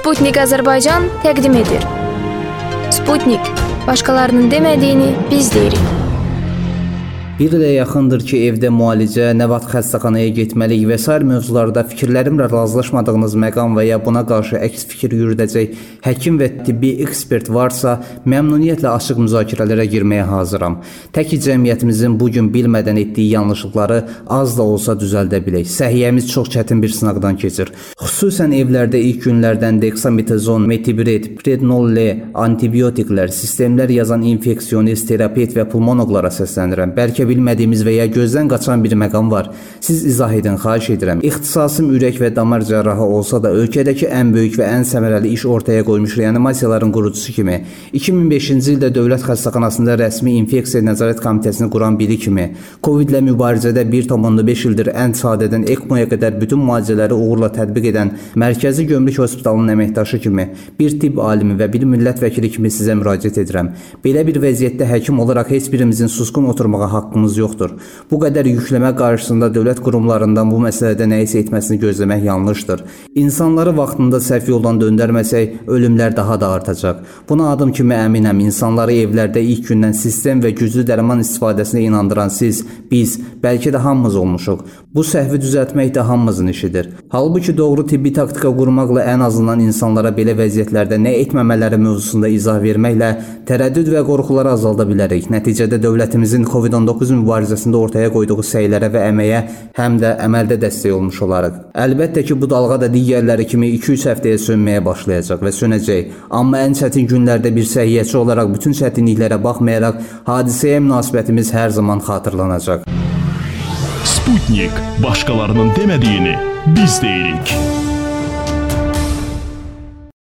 Sputnik Azərbaycan təqdim edir. Sputnik, başqalarının demədiyini biz deyirik. Bir ilə yaxındır ki, evdə müalicə, nə vaxt xəstəxanaya getməlik və sair mövzularda fikirlərimlə razılaşmadığınız məqam və ya buna qarşı əks fikir yürüdəcək həkim və tibbi ekspert varsa, məmnuniyyətlə açıq müzakirələrə girməyə hazıram. Tək ki, cəmiyyətimizin bugün bilmədən etdiyi yanlışlıqları az da olsa düzəldə bilək. Səhiyyəmiz çox çətin bir sınaqdan keçir. Xüsusən evlərdə ilk günlərdən deksametazon, metibret, prednol-L, antibiotiklər, sistemlər yazan infeksionist, terapevt və pulmonoloqlara səslənirəm. Bəlkə bilmədiyimiz və ya gözdən qaçan bir məqam var. Siz izah edin, xahiş edirəm. İxtisasım ürək və damar cərrahı olsa da, ölkədəki ən böyük və ən səmərəli iş ortaya qoymuş reanimasiyaların qurucusu kimi, 2005-ci ildə Dövlət Xəstəxanasında rəsmi infeksiya nəzarət komitəsini quran biri kimi, Covid-lə mübarizədə 1,5 ildir ən sadədən ECMO-ya qədər bütün müalicələri uğurla tətbiq edən Mərkəzi Gömrük Hospitalının əməkdaşı kimi, bir tibb alimi və bir millət vəkili kimi sizə müraciət edirəm. Belə bir vəziyyətdə həkim olaraq heç birimizin susqun oturmağa haqqımız yoxdur. Bu qədər yükləmə qarşısında dövlət qurumlarından bu məsələdə nəyisə etməsini gözləmək yanlışdır. İnsanları vaxtında səhv yoldan döndərməsək, ölümlər daha da artacaq. Buna adım kimi əminəm, insanları evlərdə ilk gündən sistem və güclü dərman istifadəsinə inandıran siz, biz, bəlkə də hamımız olmuşuq. Bu səhvi düzəltmək də hamımızın işidir. Halbuki doğru tibbi taktika qurmaqla ən azından insanlara belə vəziyyətlərdə nə etməmələri mövzusunda izah verməklə tərəddüd və qorxuları azalda bilərik. Nəticədə dövlətimizin COVID-19 mübarizəsində ortaya qoyduğu səylərə və əməyə həm də əməldə dəstək olmuş olarıq. Əlbəttə ki, bu dalğa da digərləri kimi 2-3 həftəyə sönməyə başlayacaq və sönəcək. Amma ən çətin günlərdə bir səhiyyəçi olaraq bütün çətinliklərə baxmayaraq hadisəyə münasibətimiz hər zaman xatırlanacaq. Sputnik, başqalarının demədiyini biz deyirik.